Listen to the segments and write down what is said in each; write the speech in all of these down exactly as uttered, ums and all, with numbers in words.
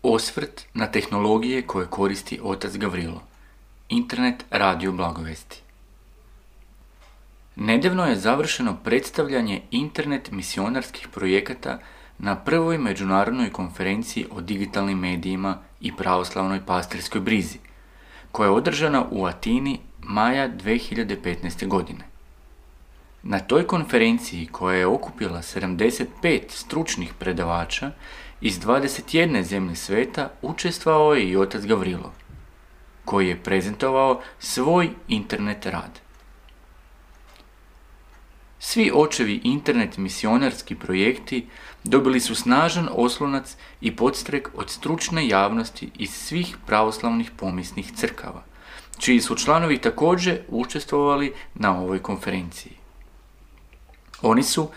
Osvrt na tehnologije koje koristi otac Gavrilo. Internet radio blagovesti. Nedavno je završeno predstavljanje internet misionarskih projekata na prvoj međunarodnoj konferenciji o digitalnim medijima i pravoslavnoj pastirskoj brizi, koja je održana u Atini maja dvije hiljade petnaeste. godine. Na toj konferenciji, koja je okupila sedamdeset pet stručnih predavača iz dvadeset jedne zemlje sveta, učestvovao je i otac Gavrilo, koji je prezentovao svoj internet rad. Svi očevi internet misionarski projekti dobili su snažan oslonac i podstrek od stručne javnosti iz svih pravoslavnih pomisnih crkava, čiji su članovi također učestvovali na ovoj konferenciji. Oni su,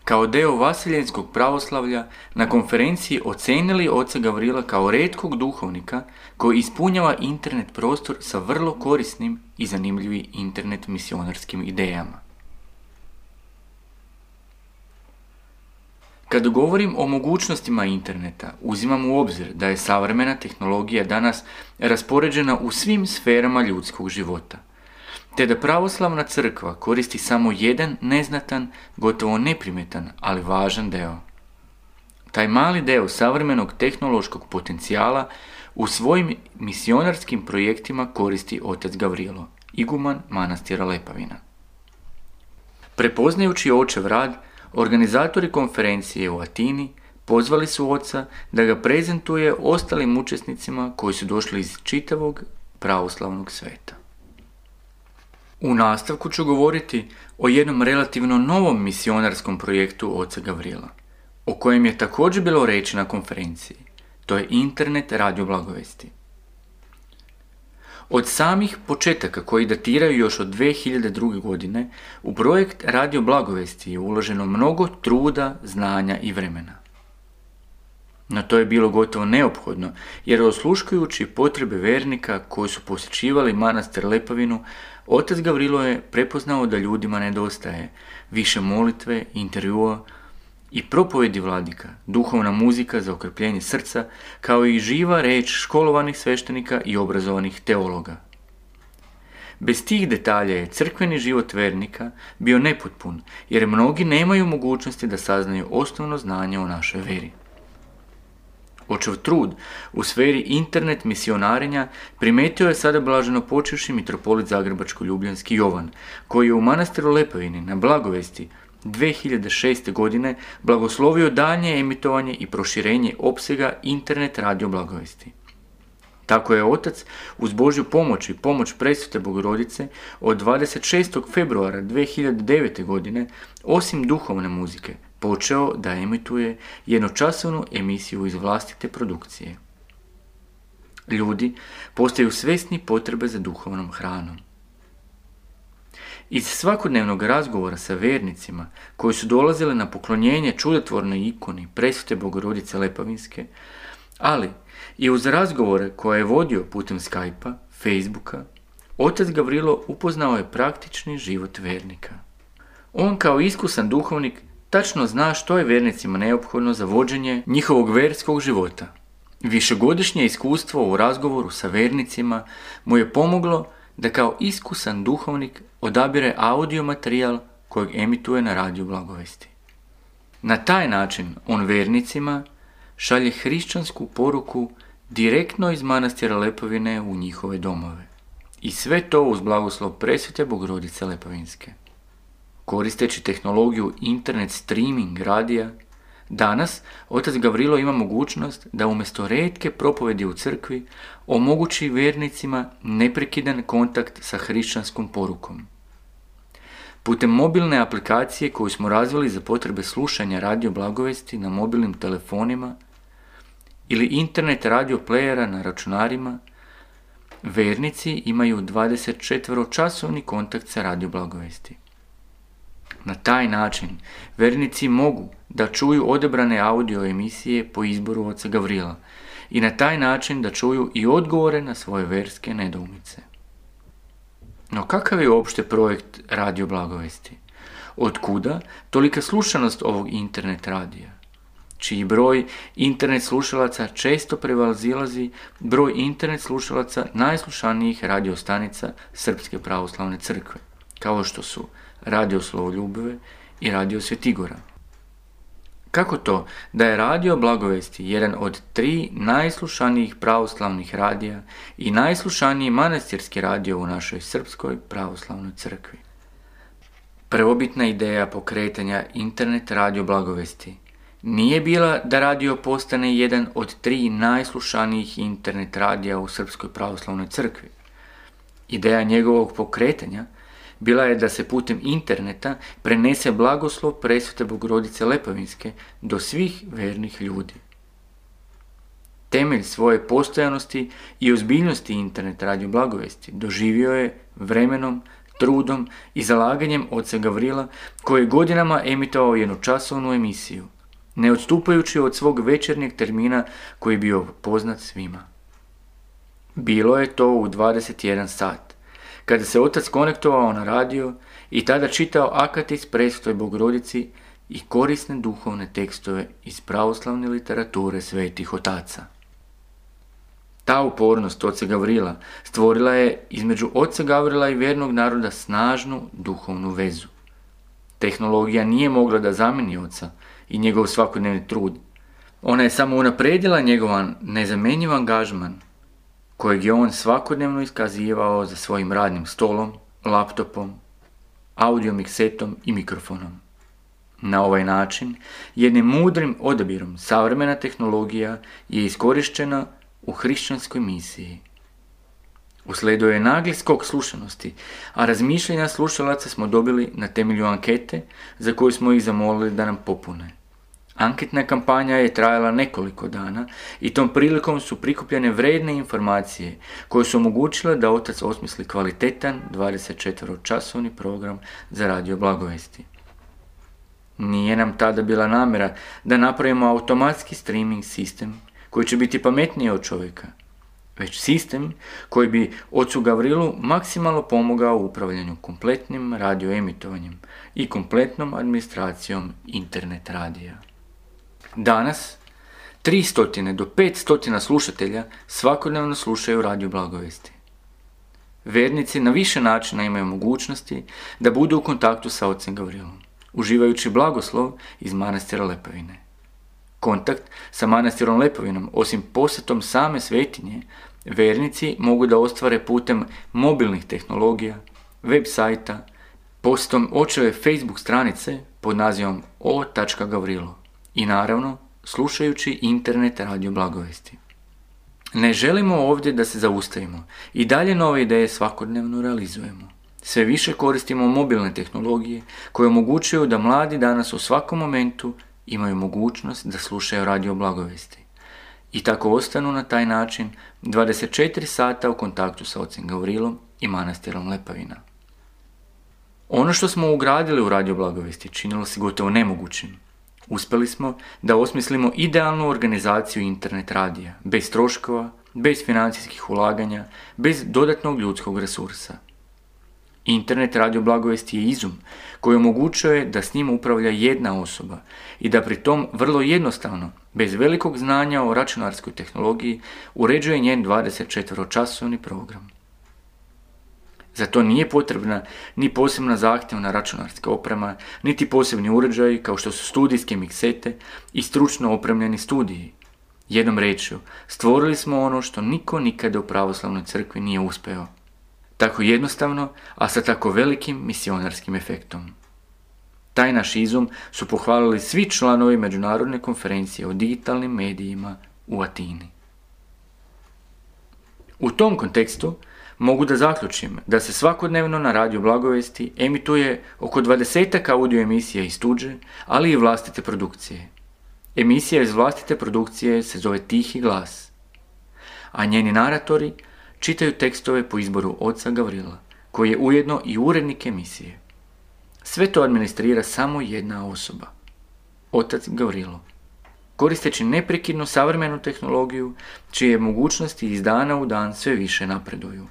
kao deo vaseljenskog pravoslavlja, na konferenciji ocenili oca Gavrila kao retkog duhovnika koji ispunjava internet prostor sa vrlo korisnim i zanimljivim internet misionarskim idejama. Kad govorim o mogućnostima interneta, uzimam u obzir da je savremena tehnologija danas raspoređena u svim sferama ljudskog života, te da pravoslavna crkva koristi samo jedan neznatan, gotovo neprimjetan, ali važan deo. Taj mali deo savremenog tehnološkog potencijala u svojim misionarskim projektima koristi otac Gavrilo, iguman manastira Lepavina. Prepoznajući očev rad, organizatori konferencije u Atini pozvali su oca da ga prezentuje ostalim učesnicima koji su došli iz čitavog pravoslavnog sveta. U nastavku ću govoriti o jednom relativno novom misionarskom projektu oca Gavrila, o kojem je također bilo reći na konferenciji. To je internet radio blagovesti. Od samih početaka, koji datiraju još od dvije hiljade druge. godine, u projekt radio blagovesti je uloženo mnogo truda, znanja i vremena. No to je bilo gotovo neophodno, jer osluškujući potrebe vernika koji su posjećivali manastir Lepavinu, otac Gavrilo je prepoznao da ljudima nedostaje više molitve, intervjua i propovedi vladika, duhovna muzika za okrpljenje srca, kao i živa reč školovanih sveštenika i obrazovanih teologa. Bez tih detalja je crkveni život vernika bio nepotpun, jer mnogi nemaju mogućnosti da saznaju osnovno znanje o našoj veri. Očev trud u sferi internet misionarenja primetio je sada blaženo počivši mitropolit Zagrebačko-ljubljanski Jovan, koji je u manastiru Lepavini na blagovesti dvije hiljade šeste. godine blagoslovio daljnje emitovanje i proširenje opsega internet radio blagovesti. Tako je otac uz Božju pomoć i pomoć Presvete Bogorodice od dvadeset šestog februara dvije hiljade devete. godine, osim duhovne muzike, počeo da emituje jednočasovnu emisiju iz vlastite produkcije. Ljudi postaju svjesni potrebe za duhovnom hranom. Iz svakodnevnog razgovora sa vernicima koji su dolazili na poklonjenje čudotvornoj ikoni Presvete Bogorodice Lepavinske, ali i uz razgovore koje je vodio putem Skype-a, Facebooka, otac Gavrilo upoznao je praktični život vernika. On kao iskusan duhovnik tačno zna što je vernicima neophodno za vođenje njihovog verskog života. Višegodišnje iskustvo u razgovoru sa vernicima mu je pomoglo da kao iskusan duhovnik odabire audio materijal kojeg emituje na radiju blagovesti. Na taj način on vernicima šalje hrišćansku poruku direktno iz manastira Lepavine u njihove domove. I sve to uz blagoslov Presvete Bogorodice Lepavinske. Koristeći tehnologiju internet streaming radija, danas otac Gavrilo ima mogućnost da umjesto retke propovedi u crkvi omogući vernicima neprekidan kontakt sa hrišćanskom porukom. Putem mobilne aplikacije koju smo razvili za potrebe slušanja radio blagovesti na mobilnim telefonima ili internet radio playera na računarima, vernici imaju dvadesetčetveročasovni kontakt sa radio blagovesti. Na taj način vernici mogu da čuju odebrane audio emisije po izboru oca Gavrila i na taj način da čuju i odgovore na svoje verske nedoumice. No kakav je uopšte projekt radio blagovesti? Otkuda tolika slušanost ovog internet radija? čiji broj internet slušalaca često prevazilazi broj internet slušalaca najslušanijih radiostanica Srpske pravoslavne crkve, kao što su Radio Slovoljubive i Radio Svetigora. Kako to da je Radio Blagovesti jedan od tri najslušanijih pravoslavnih radija i najslušaniji manastirski radio u našoj Srpskoj pravoslavnoj crkvi? Prvobitna ideja pokretanja internet Radio Blagovesti nije bila da radio postane jedan od tri najslušanijih internet radija u Srpskoj pravoslavnoj crkvi. Ideja njegovog pokretanja bila je da se putem interneta prenese blagoslov presvete Bogorodice Lepovinske do svih vernih ljudi. Temelj svoje postojanosti i ozbiljnosti internet Radio Blagovesti doživio je vremenom, trudom i zalaganjem oca Gavrila, koji je godinama emitovao jednočasovnu emisiju, ne odstupajući od svog večernjeg termina koji je bio poznat svima. Bilo je to u dvadeset jedan sat, kada se otac konektovao na radio i tada čitao akatis presvetoj Bogorodici i korisne duhovne tekstove iz pravoslavne literature svetih otaca. Ta upornost oca Gavrila stvorila je između oca Gavrila i vernog naroda snažnu duhovnu vezu. Tehnologija nije mogla da zameni oca i njegov svakodnevni trud. Ona je samo unaprijedila njegovan nezamenjiv angažman, kojeg je on svakodnevno iskazivao za svojim radnim stolom, laptopom, audio miksetom i mikrofonom. Na ovaj način, jednim mudrim odabirom, savremena tehnologija je iskorištena u hrišćanskoj misiji. Usledio je nagli skok slušanosti, a razmišljenja slušalaca smo dobili na temelju ankete za koju smo ih zamolili da nam popune. Anketna kampanja je trajala nekoliko dana i tom prilikom su prikupljene vredne informacije koje su omogućile da otac osmisli kvalitetan dvadesetčetvoročasovni program za Radio Blagovesti. Nije nam tada bila namjera da napravimo automatski streaming sistem koji će biti pametniji od čovjeka, već sistem koji bi ocu Gavrilu maksimalno pomogao u upravljanju kompletnim radioemitovanjem i kompletnom administracijom internet radija. Danas, tristo do petsto slušatelja svakodnevno slušaju Radio Blagovesti. Vernici na više načina imaju mogućnosti da budu u kontaktu sa ocem Gavrilom, uživajući blagoslov iz manastira Lepovine. Kontakt sa manastirom Lepovinom, osim posjetom same svetinje, vernici mogu da ostvare putem mobilnih tehnologija, web sajta, posjetom očeve Facebook stranice pod nazivom o tačka gavrilo i naravno slušajući internet Radio Blagovesti. Ne želimo ovdje da se zaustavimo i dalje nove ideje svakodnevno realizujemo. Sve više koristimo mobilne tehnologije koje omogućuju da mladi danas u svakom momentu imaju mogućnost da slušaju Radio Blagovesti i tako ostanu na taj način dvadeset četiri sata u kontaktu sa ocem Gavrilom i manastirom Lepavina. Ono što smo ugradili u Radio Blagovesti činilo se gotovo nemogućim. Uspjeli smo da osmislimo idealnu organizaciju internet radija, bez troškova, bez financijskih ulaganja, bez dodatnog ljudskog resursa. Internet Radio Blagovesti je izum koji omogućuje da s njim upravlja jedna osoba i da pri tom vrlo jednostavno, bez velikog znanja o računarskoj tehnologiji, uređuje njen dvadesetčetvoročasovni program. Za to nije potrebna ni posebna zahtjevna računarska oprema, niti posebni uređaji kao što su studijske miksete i stručno opremljeni studiji. Jednom rečju, stvorili smo ono što niko nikada u pravoslavnoj crkvi nije uspeo. Tako jednostavno, a sa tako velikim misionarskim efektom. Taj naš izum su pohvalili svi članovi Međunarodne konferencije o digitalnim medijima u Atini. U tom kontekstu mogu da zaključim da se svakodnevno na Radio Blagovesti emituje oko dvadesetak audio emisija iz tuđe, ali i vlastite produkcije. Emisija iz vlastite produkcije se zove Tihi glas, a njeni naratori čitaju tekstove po izboru oca Gavrila, koji je ujedno i urednik emisije. Sve to administrira samo jedna osoba, otac Gavrilo, koristeći neprekidno savremenu tehnologiju, čije mogućnosti iz dana u dan sve više napreduju.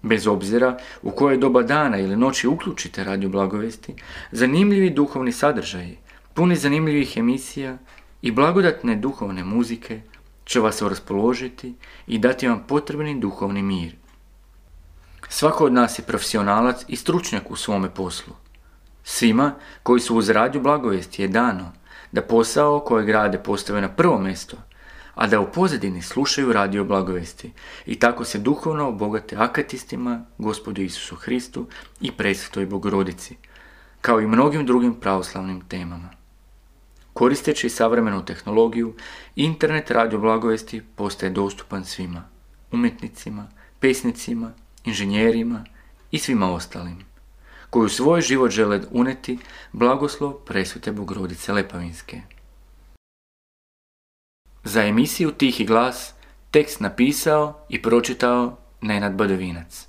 Bez obzira u koje doba dana ili noći uključite Radio Blagovesti, zanimljivi duhovni sadržaji, puni zanimljivih emisija i blagodatne duhovne muzike će vas raspoložiti i dati vam potrebni duhovni mir. Svako od nas je profesionalac i stručnjak u svome poslu. Svima koji su uz radio Blagovijesti je dano da posao kojeg rade postave na prvo mjesto, a da u pozadini slušaju radio Blagovijesti i tako se duhovno obogate akatistima, Gospodu Isusu Hristu i Presvetoj Bogorodici, kao i mnogim drugim pravoslavnim temama. Koristeći savremenu tehnologiju, internet radio Blagovijesti postaje dostupan svima, umjetnicima, pesnicima, inženjerima i svima ostalim, koji u svoj život žele uneti blagoslov Presvete Bogorodice Lepavinske. Za emisiju Tihi glas tekst napisao i pročitao Nenad Badovinac.